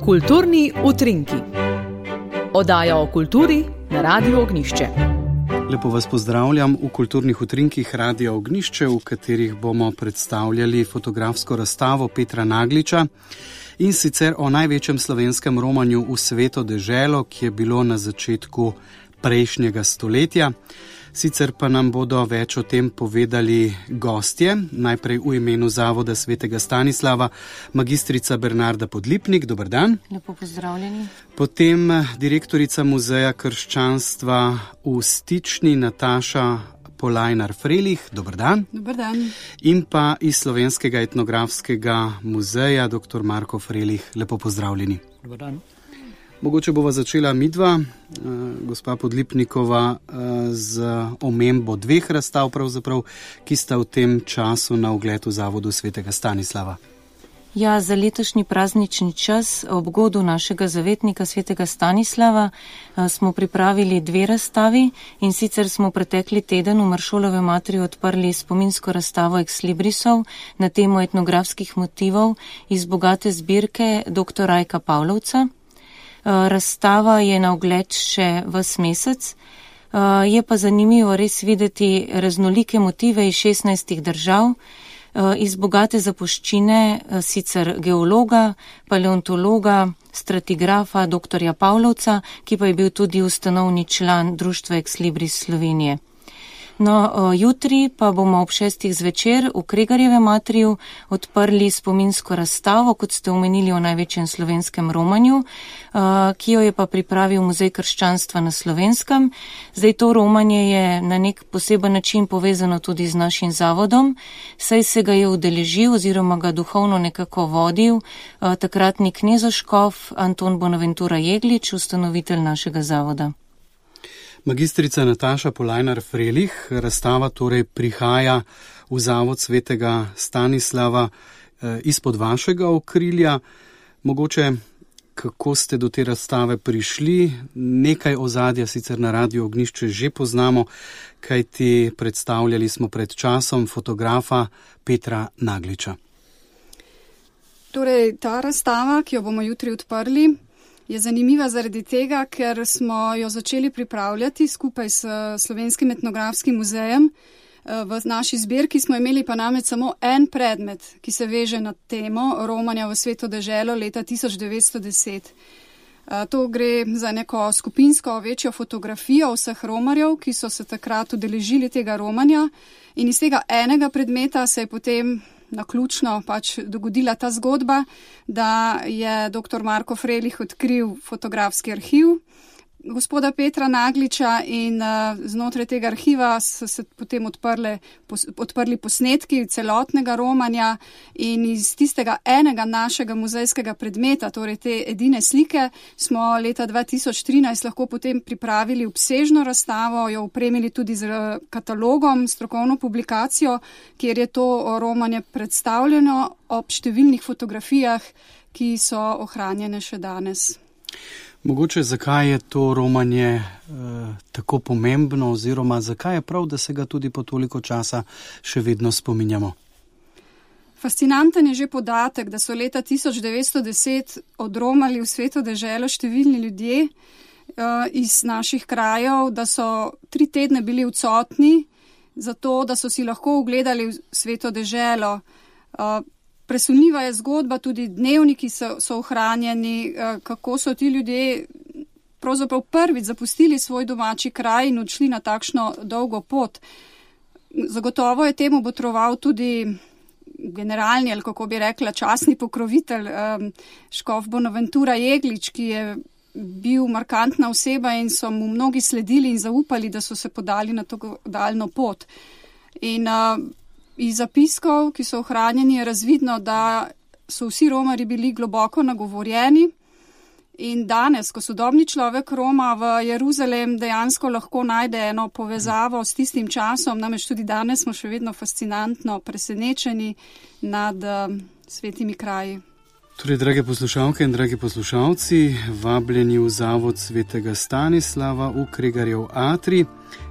Kulturni utrinki. Oddaja o kulturi na Radiu Ognjišče. Lepo vas pozdravljam v kulturnih utrinkih Radia Ognjišče, v katerih bomo predstavljali fotografsko razstavo Petra Nagliča in sicer o največjem slovenskem romanju v Sveto deželo, ki je bilo na začetku prejšnjega stoletja. Sicer pa nam bodo več o tem povedali gostje, najprej v imenu Zavoda svetega Stanislava, magistrica Bernarda Podlipnik, dober dan. Lepo pozdravljeni. Potem direktorica Muzeja krščanstva v Stični Nataša Polajnar-Frelih, dober dan. Dober dan. In pa iz Slovenskega etnografskega muzeja dr. Marko Frelih, lepo pozdravljeni. Dober dan. Mogoče bova začela midva, gospa Podlipnikova, z omembo dveh razstav, pravzaprav, ki sta v tem času na ogled v Zavodu svetega Stanislava. Ja, za letošnji praznični čas ob godu našega zavetnika svetega Stanislava smo pripravili dve razstavi, in sicer smo pretekli teden v Maršolove materi odprli spominsko razstavo Ex Librisov na temo etnografskih motivov iz bogate zbirke dr. Rajka Pavlovca. Razstava je na ogled še ves mesec, je pa zanimivo res videti raznolike motive iz 16 držav, iz bogate zapuščine, sicer geologa, paleontologa, stratigrafa, dr. Pavlovca, ki pa je bil tudi ustanovni član društva Ex Libris Slovenije. No, jutri pa bomo ob 6. zvečer v Kregarjevem atriju odprli spominsko razstavo, kot ste omenili, o največjem slovenskem romanju, ki jo je pa pripravil Muzej krščanstva na Slovenskem. Zdaj, to romanje je na nek poseben način povezano tudi z našim zavodom, saj se ga je udeležil oziroma ga duhovno nekako vodil takratni knezoškof Anton Bonaventura Jeglič, ustanovitelj našega zavoda. Magistrica Nataša Polajnar-Frelih, razstava torej prihaja v Zavod svetega Stanislava izpod vašega okrilja. Mogoče, kako ste do te razstave prišli? Nekaj ozadja sicer na Radiu Ognjišče že poznamo, kajti predstavljali smo pred časom fotografa Petra Nagliča. Torej, ta razstava, ki jo bomo jutri odprli, je zanimiva zaradi tega, ker smo jo začeli pripravljati skupaj s Slovenskim etnografskim muzejem. V naši zbirki smo imeli pa namreč samo en predmet, ki se veže na temo romanja v Sveto deželo leta 1910. To gre za neko skupinsko večjo fotografijo vseh romarjev, ki so se takrat udeležili tega romanja, in iz tega enega predmeta se je potem naključno dogodila ta zgodba, da je dr. Marko Frelih odkril fotografski arhiv gospoda Petra Nagliča, in znotraj tega arhiva so se potem odprli posnetki celotnega romanja, in iz tistega enega našega muzejskega predmeta, torej te edine slike, smo leta 2013 lahko potem pripravili obsežno razstavo, jo opremili tudi z katalogom, strokovno publikacijo, kjer je to romanje predstavljeno ob številnih fotografijah, ki so ohranjene še danes. Mogoče, zakaj je to romanje tako pomembno, oziroma zakaj je prav, da se ga tudi po toliko časa še vedno spominjamo? Fascinanten je že podatek, da so leta 1910 odromali v Sveto deželo številni ljudje iz naših krajev, da so 3 tedne bili odsotni, zato da so si lahko ogledali Sveto deželo. Presunljiva je zgodba, tudi dnevniki so ohranjeni, kako so ti ljudje pravzaprav prvič zapustili svoj domači kraj in odšli na takšno dolgo pot. Zagotovo je temu botroval tudi generalni, ali kako bi rekla, častni pokrovitelj, škof Bonaventura Jeglič, ki je bil markantna oseba in so mu mnogi sledili in zaupali, da so se podali na to daljno pot. In iz zapiskov, ki so ohranjeni, je razvidno, da so vsi romarji bili globoko nagovorjeni, in danes, ko sodobni človek roma v Jeruzalem, dejansko lahko najde eno povezavo s tistim časom, namreč tudi danes smo še vedno fascinantno presenečeni nad svetimi kraji. Torej, drage poslušalke in dragi poslušalci, vabljeni v Zavod svetega Stanislava v Kregarjev atrij.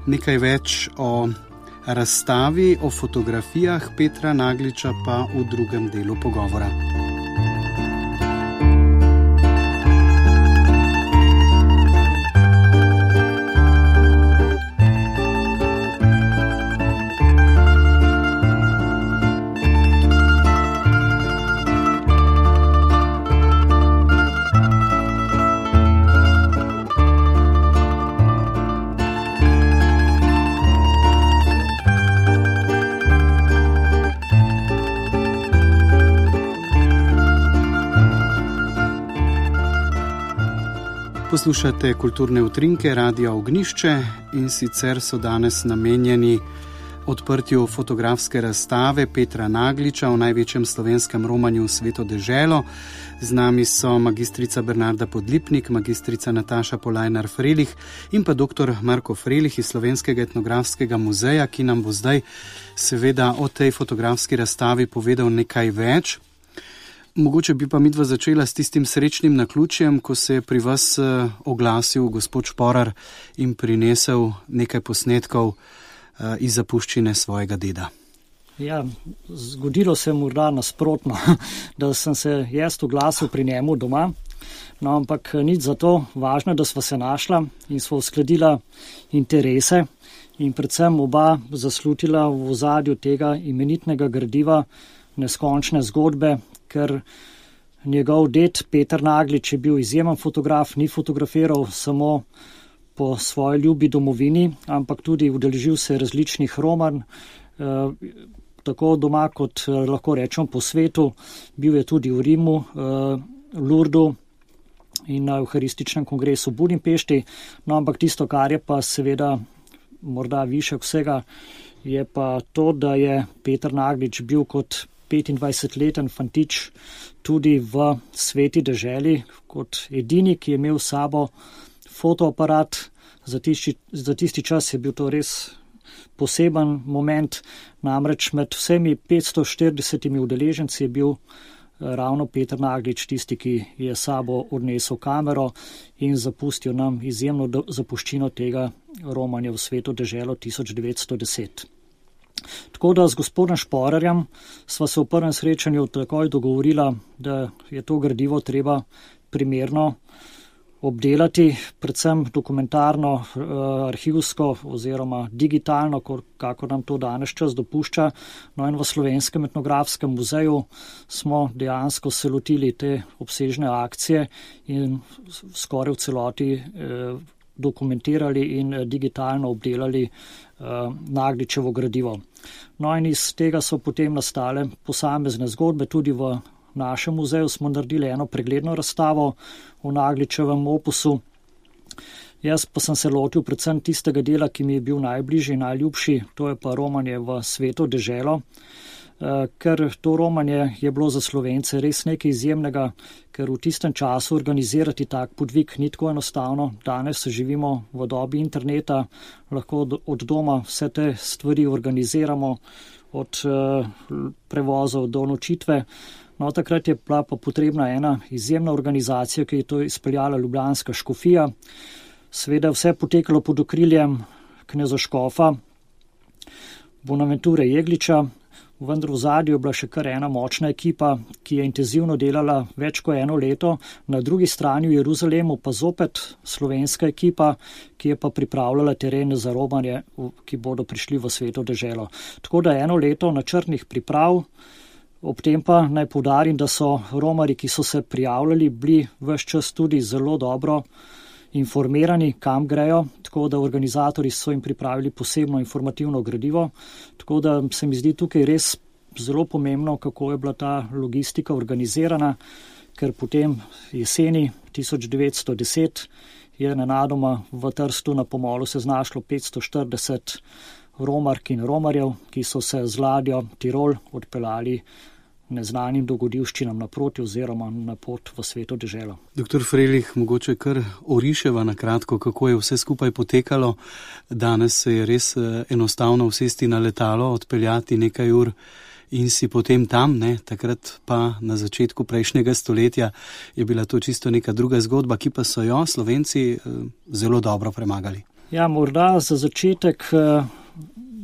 Nekaj več o razstavi, o fotografijah Petra Nagliča pa v drugem delu pogovora. Poslušate kulturne utrinke Radia Ognjišče in sicer so danes namenjeni odprtju fotografske razstave Petra Nagliča o največjem slovenskem romanju v Sveto deželo. Z nami so magistrica Bernarda Podlipnik, magistrica Nataša Polajnar-Frelih in pa dr. Marko Frelih iz Slovenskega etnografskega muzeja, ki nam bo zdaj seveda o tej fotografski razstavi povedal nekaj več. Mogoče bi pa midva začela s tistim srečnim naključjem, ko se je pri vas oglasil gospod Šporar in prinesel nekaj posnetkov iz zapuščine svojega deda. Ja, zgodilo se morda nasprotno, da sem se jaz oglasil pri njemu doma, no ampak nič za to, važno, da sva se našla in sva uskladila interese in predvsem oba zaslutila v ozadju tega imenitnega gradiva neskončne zgodbe, ker njegov ded Peter Naglič je bil izjemen fotograf, ni fotografiral samo po svoji ljubi domovini, ampak tudi udeležil se različnih romanj, tako doma kot lahko rečem po svetu. Bil je tudi v Rimu, Lurdu in na Euharističnem kongresu v Budimpešti. No, ampak tisto, kar je pa seveda morda višek vsega, je pa to, da je Peter Naglič bil kot 25-leten fantič tudi v Sveti deželi, kot edini, ki je imel s sabo fotoaparat. Za tisti čas je bil to res poseben moment, namreč med vsemi 540 udeleženci je bil ravno Peter Naglič tisti, ki je s sabo odnesel kamero in zapustil nam izjemno zapuščino tega romanja v Sveto deželo 1910. Tako da z gospodom Šporarjem sva se v prvem srečanju takoj dogovorila, da je to gradivo treba primerno obdelati, predvsem dokumentarno, arhivsko oziroma digitalno, kako nam to danes čas dopušča. No in v Slovenskem etnografskem muzeju smo dejansko se lotili te obsežne akcije in skoraj v celoti dokumentirali in digitalno obdelali Nagličevo gradivo. No in iz tega so potem nastale posamezne zgodbe. Tudi v našem muzeju smo naredili eno pregledno razstavo o Nagličevem opusu. Jaz pa sem se lotil predvsem tistega dela, ki mi je bil najbližji, najljubši, to je pa romanje v Sveto deželo, ker to romanje je bilo za Slovence res nekaj izjemnega, ker v tistem času organizirati tak podvig ni tako enostavno. Danes živimo v dobi interneta, lahko od doma vse te stvari organiziramo, od prevozov do nočitve. No, takrat je bila pa potrebna ena izjemna organizacija, ki je to izpeljala ljubljanska škofija. Seveda vse potekalo pod okriljem kneza škofa Bonaventure Jegliča, vendar v zadju je bila še kar ena močna ekipa, ki je intenzivno delala več kot eno leto. Na drugi strani v Jeruzalemu pa zopet slovenska ekipa, ki je pa pripravljala teren za romanje, ki bodo prišli v Sveto deželo. Tako da eno leto načrtnih priprav. Ob tem pa naj poudarim, da so romarji, ki so se prijavljali, bili ves čas tudi zelo dobro informirani, kam grejo, tako da organizatorji so jim pripravili posebno informativno gradivo. Tako da se mi zdi tukaj res zelo pomembno, kako je bila ta logistika organizirana, ker potem jeseni 1910 je nenadoma v Trstu na Pomolu se znašlo 540 romark in romarjev, ki so se z ladjo Tirol odpeljali neznanim dogodivščinam naproti oziroma na pot v Sveto deželo. Doktor Frelih, mogoče kar oriševa na kratko, kako je vse skupaj potekalo. Danes se je res enostavno usesti na letalo, odpeljati nekaj ur in si potem tam, ne? Takrat pa na začetku prejšnjega stoletja je bila to čisto neka druga zgodba, ki pa so jo Slovenci zelo dobro premagali. Ja, morda za začetek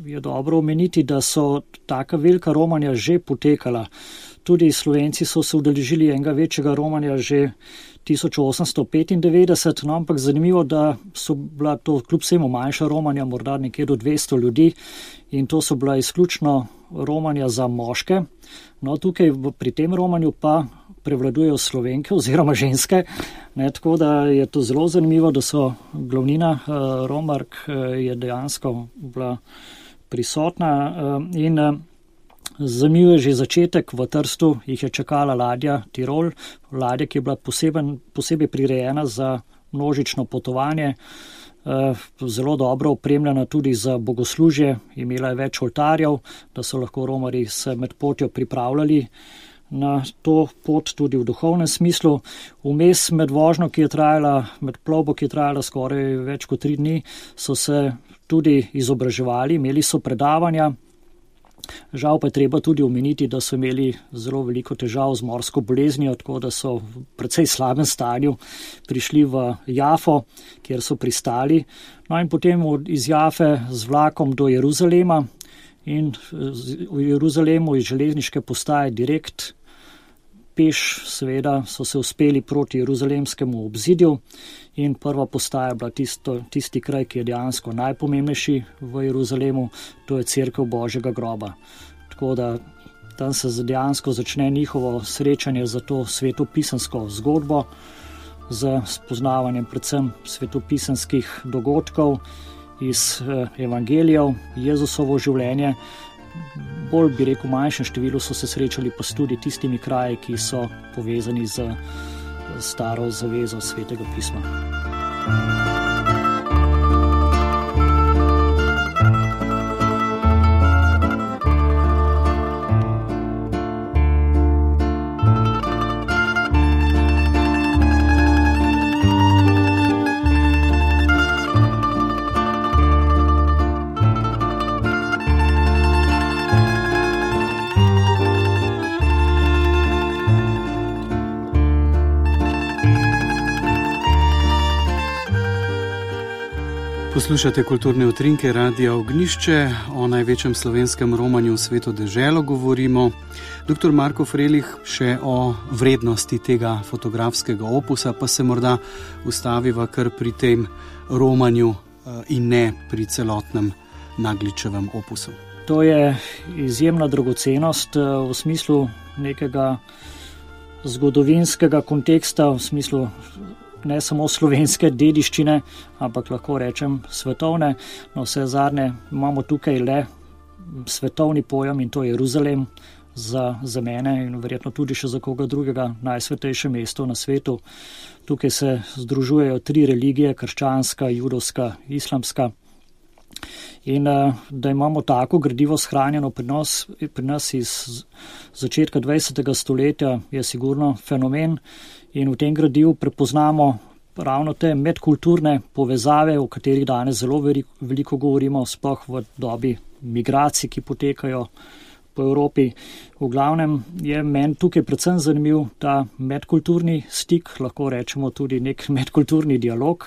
je dobro omeniti, da so taka velika romanja že potekala. Tudi Slovenci so se udeležili enega večjega romanja že 1895, no, ampak zanimivo, da so bila to kljub vsemu manjša romanja, morda nekje do 200 ljudi in to so bila izključno romanja za moške. No, tukaj pri tem romanju pa prevladujejo Slovenke oziroma ženske, ne, tako da je to zelo zanimivo, da so glavnina romark je dejansko bila prisotna in zanimiv je že začetek. V Trstu jih je čakala ladja Tirol, ladja, ki je bila posebej prirejena za množično potovanje, zelo dobro opremljena tudi za bogoslužje, imela je več oltarjev, da so lahko romarji se med potjo pripravljali na to pot tudi v duhovnem smislu. Vmes med vožnjo, med plovbo, ki je trajala skoraj več kot 3 dni, so se tudi izobraževali, imeli so predavanja. Žal pa je treba tudi omeniti, da so imeli zelo veliko težav z morsko boleznijo, tako da so v precej slabem stanju prišli v Jafo, kjer so pristali. No in potem iz Jafe z vlakom do Jeruzalema in v Jeruzalemu iz železniške postaje direkt peš, seveda so se uspeli proti jeruzalemskemu obzidju in prva postaja je bila tisti kraj, ki je dejansko najpomembnejši v Jeruzalemu, to je cerkev Božjega groba. Tako da tam se dejansko začne njihovo srečanje za to svetopisansko zgodbo, z spoznavanjem predvsem svetopisanskih dogodkov iz evangelijev, Jezusovo življenje. Bolj bi rekel, manjšem številu so se srečali pa tudi tistimi kraji, ki so povezani z staro zavezo Svetega pisma. Poslušate kulturne utrinke Radia Ognjišče, o največjem slovenskem romanju v sveto deželo govorimo. Dr. Marko Frelih, še o vrednosti tega fotografskega opusa, pa se morda ustaviva kar pri tem romanju in ne pri celotnem Nagličevem opusu. To je izjemna dragocenost v smislu nekega zgodovinskega konteksta, v smislu ne samo slovenske dediščine, ampak lahko rečem svetovne. No, vse zadnje imamo tukaj le svetovni pojem in to je Jeruzalem za mene in verjetno tudi še za koga drugega najsvetejše mesto na svetu. Tukaj se združujejo 3 religije, krščanska, judovska, islamska. In da imamo tako gradivo shranjeno pri nas iz začetka 20. stoletja je sigurno fenomen. In v tem gradivu prepoznamo ravno te medkulturne povezave, o katerih danes zelo veliko govorimo, sploh v dobi migracij, ki potekajo po Evropi. V glavnem je meni tukaj predvsem zanimiv ta medkulturni stik, lahko rečemo tudi nek medkulturni dialog.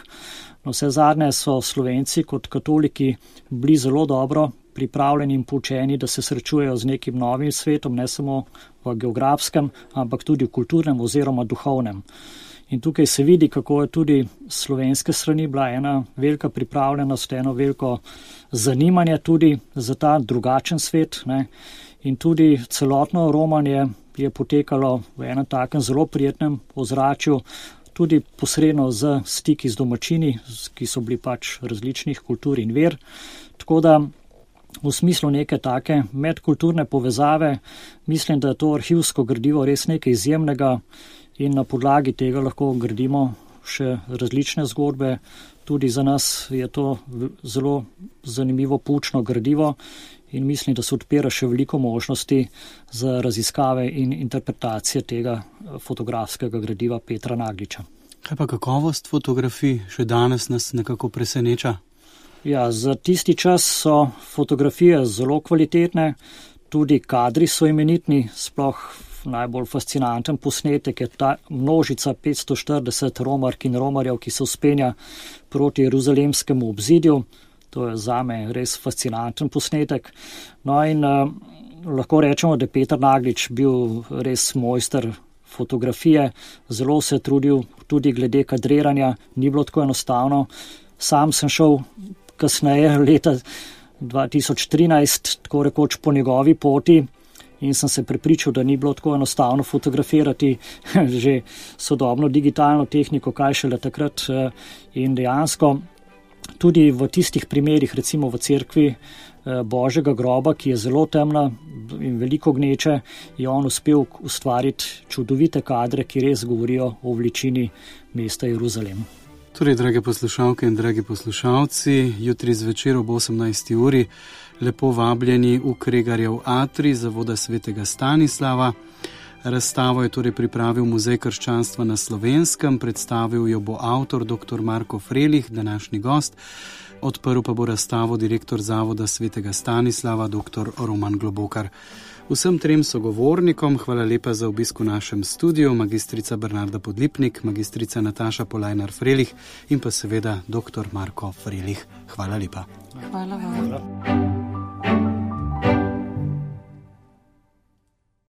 No, vse zadnje so Slovenci kot katoliki bili zelo dobro pripravljeni in poučeni, da se srečujejo z nekim novim svetom, ne samo v geografskem, ampak tudi v kulturnem oziroma duhovnem. In tukaj se vidi, kako je tudi slovenske strani bila ena velika pripravljenost, eno veliko zanimanje tudi za ta drugačen svet, ne. In tudi celotno romanje je potekalo v enem takem zelo prijetnem ozračju, tudi posredno z stiki z domačini, ki so bili pač različnih kultur in ver. Tako da v smislu neke take medkulturne povezave mislim, da je to arhivsko gradivo res nekaj izjemnega in na podlagi tega lahko gradimo še različne zgodbe. Tudi za nas je to zelo zanimivo poučno gradivo in mislim, da se odpira še veliko možnosti za raziskave in interpretacije tega fotografskega gradiva Petra Nagliča. Kaj pa kakovost fotografij še danes nas nekako preseneča? Ja, za tisti čas so fotografije zelo kvalitetne, tudi kadri so imenitni, sploh najbolj fascinanten posnetek je ta množica 540 romark in romarjev, ki se vzpenja proti jeruzalemskemu obzidju. To je zame res fascinanten posnetek. No in lahko rečemo, da je Peter Naglič bil res mojster fotografije, zelo se je trudil tudi glede kadriranja, ni bilo tako enostavno. Sam sem šel kasneje, leta 2013, tako rekoč po njegovi poti in sem se prepričal, da ni bilo tako enostavno fotografirati že sodobno digitalno tehniko, kaj šele takrat. In dejansko tudi v tistih primerih, recimo v cerkvi Božjega groba, ki je zelo temna in veliko gneče, je on uspel ustvariti čudovite kadre, ki res govorijo o veličini mesta Jeruzalem. Torej, drage poslušalke in dragi poslušalci, jutri zvečer ob 18. uri lepo vabljeni v Kregarjev atrij Zavoda svetega Stanislava. Razstavo je torej pripravil Muzej krščanstva na Slovenskem, predstavil jo bo avtor dr. Marko Frelih, današnji gost, odprl pa bo razstavo direktor Zavoda svetega Stanislava dr. Roman Globokar. Vsem trem sogovornikom hvala lepa za obisk v našem studiu, magistrica Bernarda Podlipnik, magistrica Nataša Polajnar Frelih in pa seveda dr. Marko Frelih. Hvala lepa. Hvala vam.